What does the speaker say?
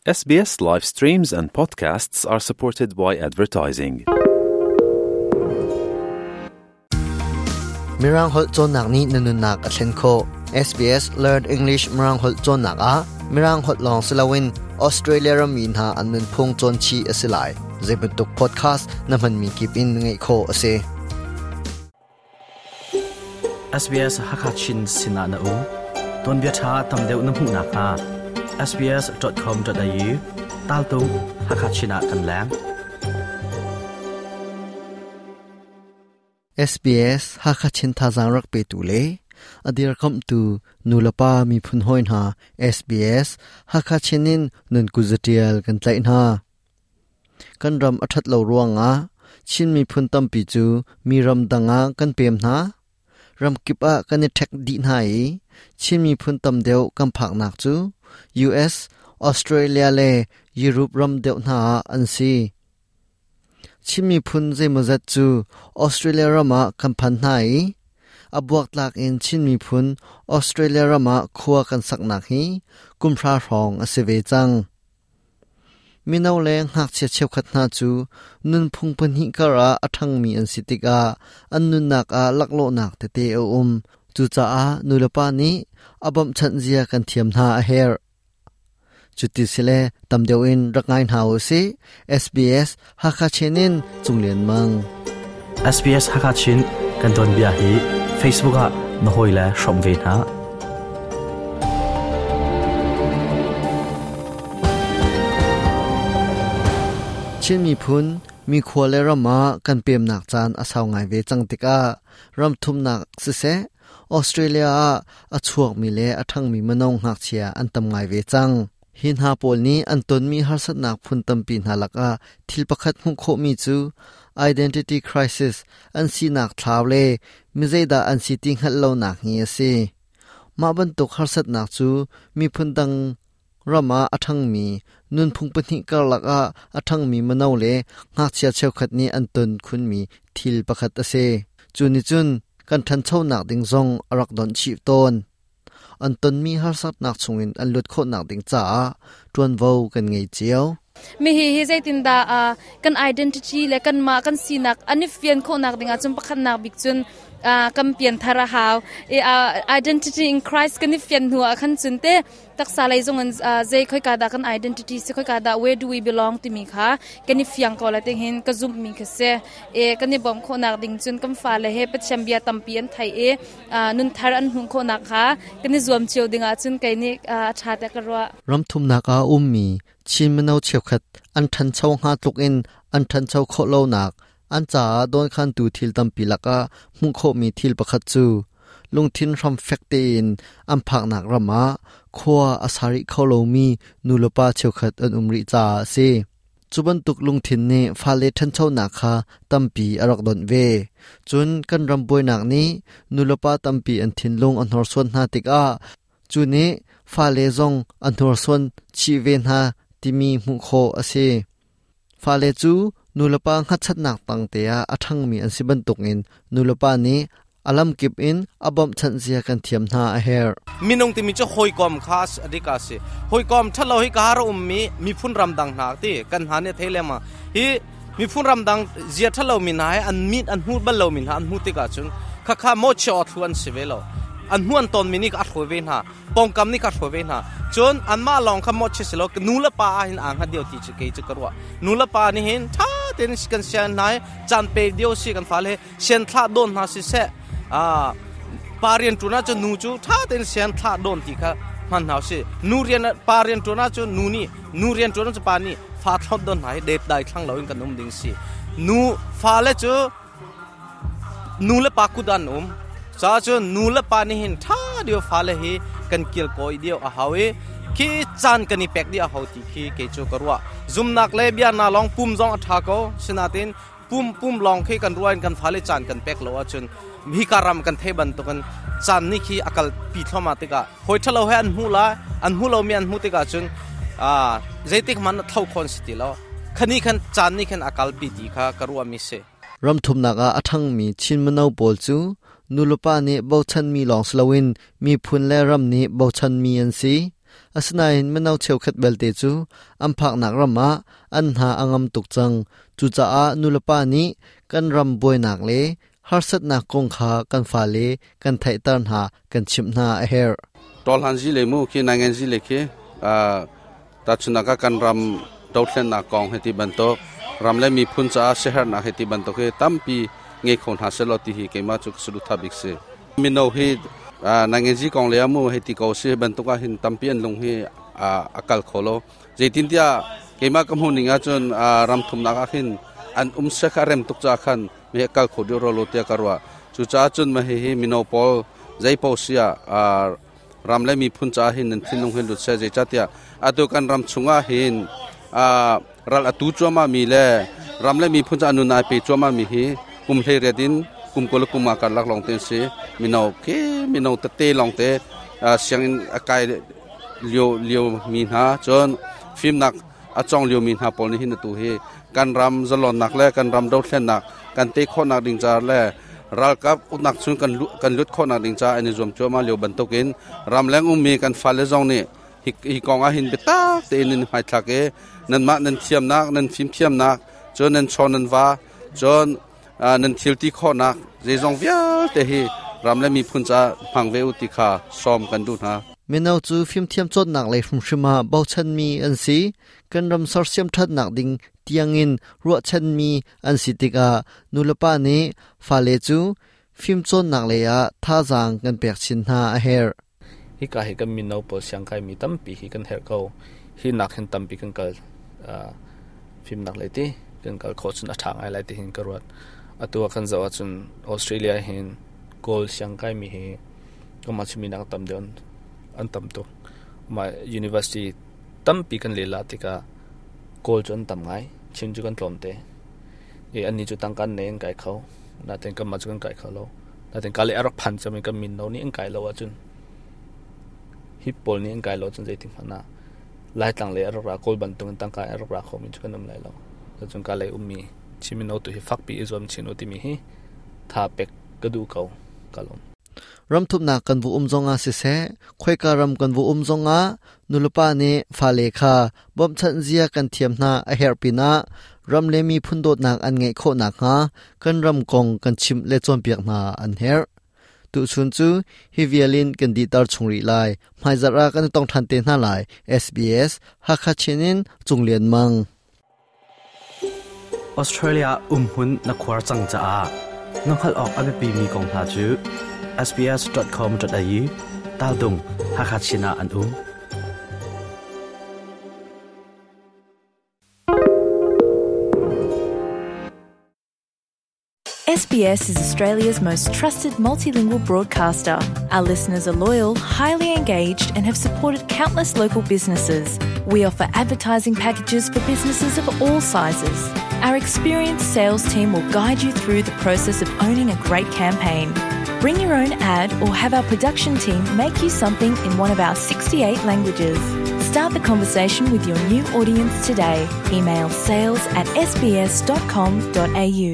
SBS live streams and podcasts are supported by advertising. Mirang holh cawnnak nih na nunnak a thlen khawh. SBS Learn English Mirang holh cawnnak ah Mirang holh lawng si loin Australia rammi hna an nunphung cawn chih a si lai. Zeibantuk podcast na hmanmi kip in ngaih khawh a si. SBS Hakachin sinah na um. Tuanbia ṭha tam deuh na hmuh nakhnga sbs.com.au taltung Hakachin ah kan leng. SBS Hakachin thazaang rak petu le a dirkamhtu nulepa miphun hawi hna SBS Hakachin in nun kuzatial kan tlaih hna. Kan ram a ṭhat lo ruangah Chin miphun tampi cu mi ram dang ah kan pem hna. Ramkip ah kan i ṭhek dih hna i Chin miphun tam deuh kan phaknak cu US, Australia le Europe ram deuh hna ah an si. Chin miphun zeimawzat cu Australia ram ah kan phan hna i a buaktlak in Chin miphun Australia ram ah khua kan saknak hi kumhra hrawng a si ve cang. Mino le ngakchia cheukhat hna cu nunphung pahnih karah a ṭhangmi an si tikah an nunnak ah laklawhnak tete a um. Cucaah nulepa nih a bawmhchanh zia kan thiam hna a herh. Cuti sile tam deuh in rak ngai hna u sih. SBS Hakha Chin in Cung Lian Mang. SBS Hakha Chin kan tuanbia hi Facebook ah na hawile hrawm ve hna. Chin miphun mi khua le ram ah kan pemnak caan a sau ngai ve cang tikah ram thumnak siseh Australia ah a chuakmi le a ṭhangmi mino ngakchia an tam ngai ve cang. Hi hna pawl nih an tonmi harsatnak phun tampi hna lakah thil pakhat hmuh khawhmi cu identity crisis an sinak thlau le mi zeidah an si ti hngalh lonak hi a si. Mah bantuk harsatnak cu miphun dang ram ah a ṭhangmi nunphung pahnih karlak ah a ṭhangmi mino le ngakchia cheukhat nih an ton khunmi thil pakhat a si. Cu nih cun kan ṭhanchonak ding zong a rak donh chih tawn. An tonmi harsatnak chungin an luat khawhnak ding caah ṭuanvo kan ngei cio. Mi hi hi zeitindah kan identity le kanmah kan sinak an i fian khawhnak ding ahcun pakhatnak bik cun kan pianthar a hau. I identity in Christ kan i fian hnu ah khan cun te taksa lei zong in zei khoika dah kan identity si khoika dah where do we belong timi kha kan i fiang ko la ting hin ka zumh mi kha si. E kan i bawmh khawhnak ding cun kan fale he Pathian bia tampi an thei i nunthar an hmuh khawhnak kha kan i zuam cio ding ahcun kei nih a ṭha tiah ka ruah. Ram thumnak ah a ummi Chin mino cheukhat an ṭhancho hnga tluk in an ṭhancho khawh lonak an caah dawnkhantu thil tampi lakah hmuh khawhmi thil pakhat cu lungthin hram fek tein an phaknak ram ah khua a sa rih kho lomi nulepa cheukhat an um rih caah a si. Cu bantuk lungthin nih fale ṭhanchonak kha tampi a rak donh ve. Cun kan ram buainak nih nulepa tampi an thinlung a hnorsuan hna tikah cu nih fale zong a hnorsuan chih ve hna timi hmuh khawh a si. Fale cu nulepa hngatchannak tangte ah a ṭhangmi an si bantukin nulepa nih a lamkip in a bawmhchanh zia kan thiam hna a herh. Minung timi cu hawikom kha a si. Hawikom ṭhalo hi ka har ummi miphun ramdang hna ti kan hna nih thei lengmang. Hi miphun ramdang zia ṭhalo mi hna hi an mit an hmu bal lo mi hna an hmu tikah cun khakha mo chia thlu an si ve lo. An hmu an ton mi nih a hruai ve hna. Pawngkam nih ka hruai ve hna. Cun anmah lawng kha mo chia si lo nu le pa ah hin aa hngat dio ti cu kei cu ka ruah. Nu le pa nih hin ṭha tein kan sian hna i caan pe dio si kan fale sian thlah dawn hna siseh pa rian ṭuan ahcun nu cu ṭha tein sian thlah dawn ti kha hman hna usih nu rian pa rian ṭuan ahcun nu nih nu rian ṭuan ahcun pa nih fa thlot dawn hna hi depdai thlang loin kan um ding si nu fale cu nu le pa kut an um ca cun nu le pa nih hin ṭha deuh fale hi kan kilkawi deuh a hau i khi caan kan i pek dih a hau ti khi kei cu ka ruah zumnak le bia na lawng pum zong a ṭha ko sinatin pum pum lawng khi kan ruah in kan fale caan kan pek lo ahcun hika ram kan thei bantukin caan nih khi a kal pi thluahmah tikah hawi ṭhalo he an hmuh lai an hmu lomi an hmuh tikah cun zeitik hmanh tho khon si ti lo khani khan caan nih khan a kalpi ti kha ka ruahmi si. Ram thumnak ah a ṭhangmi Chin mino pawl cu nulepa nih bochanmi lawng si loin miphun le ram nih bochanmi an si. Asinain mino cheukhat belte cu an phaknak ram ah an hna a ngam tuk cang. Cucaah nulepa nih kan ram buainak le harsatnak kong kha kan fale kan theihter hna, kan chimh hna a herh. Tawlhan zi le mu khi nangen zi le khi tahchunhnak ah kan ram dothlennak kong hei ti bantuk ram le miphun caah siaherhnak hei ti bantuk hi tampi ngei kho hna selaw ti hi keimah cu ka saduhthah bik si. Mino hi nangenzi kong le mu hei ti ko si bantuk ah hin tampi an lung hi a kal kho lo. Zeitintiah keimah ka hmuh ning ahcun ram thumnak ah hin an um se kha rem tuk ca khan mi a kal kho deuh ro lo tiah ka ruah. Cucaah cun mah hihi mino pawl zeipaoh si ah ram le miphun caah hin nan thinlung hin lut seh. Zeicahtiah atu kan ram chungah hin ral atu cuahmah mi le ram le miphun caah nun ai pe cuahmah mi hi kum 18 in kum 20 le kum nga karlak lawng te an si. Mino khi mino tete lawng te sianginn a kai lio lio mi hna cun fimnak a cawng lio mi hna pawl nih hin atu hi kan ram zalonnak le kan ram dothlennak kan te khawhnak ding ca le ralkap uknak chung kan kan lut khawhnak ding ca an i zuam cuahmah lio bantukin ramleng ummi kan fale zong nih hi, hi kong ah hin biatak tein nan hmaithlak i nanmah nan thiamnak nan fimthiamnak cun nan chaw nan va cun nan thil ti khawhnak zeizong vialte hi ram le miphun caah hmang ve u ti kha sawm kan duh hna. Mino cu fimthiam cawnnak lei hrimhrim ah bochanmi an si. Kan ram sersiam ṭhatnak ding tiangin ruahchanmi an si tikah nulepa nih fale cu fimcawnnak lei ah thazaang kan pek chin hna a herh. Hika hi kan mino pawl siangkaimi tampi hi kan herh ko. Hi nak hin tampi kan kal fimnak lei ti kan kal khawh cun a ṭha ngai lai ti hin ka ruat. Atu ah kan zoh ahcun Australia hin Kawl siangkaimi hi kanmah Chinmi nak tam deuh an tam tuk. Mah university tampi kan lela tikah Kawl cu an tam ngai, Chin cu kan tlawmte. I annih cu tangka an nei an kai kho. Nain kanmah cu kan kai kho lo. Nain ka le a rak phan cem i kan min no nih an kai lo ahcun hi pawl nih an kai lo ahcun zeitik hmanh ah Laitlang lei a rak ra Kawl bantuk in tangka a rak ra khomi cu kan um lai lo. Cun ka lei ummi Chin mino tu hi fakpi i zuam chin u timi hi tha pek ka duh ko. Ka lawm. Ramthumnak kan vu um zongah siseh, khoika ram kan vu um zongah nulepa nih fale kha bawmhchanh zia kan thiam hna a herh pinah ram le miphun dawtnak an ngeih khawh nakhnga kan ram kong kan chimh le cawnpiak hna an herh. Tuchun cu hi vial in kan dihter chung rih lai. Hmaizarh ah kan i tong ṭhan te hna lai. SBS Hakha Chin in Cung Lian Mang. Australia umhmun na khuar cang caah na hngalh awk a biapimi kong hna cu sbs.com.au taldung Hakha Chin ah an um. SBS is Australia's most trusted multilingual broadcaster. Our listeners are loyal, highly engaged, and have supported countless local businesses. We offer advertising packages for businesses of all sizes. Our experienced sales team will guide you through the process of owning a great campaign. Bring your own ad or have our production team make you something in one of our 68 languages. Start the conversation with your new audience today. Email sales at sbs.com.au.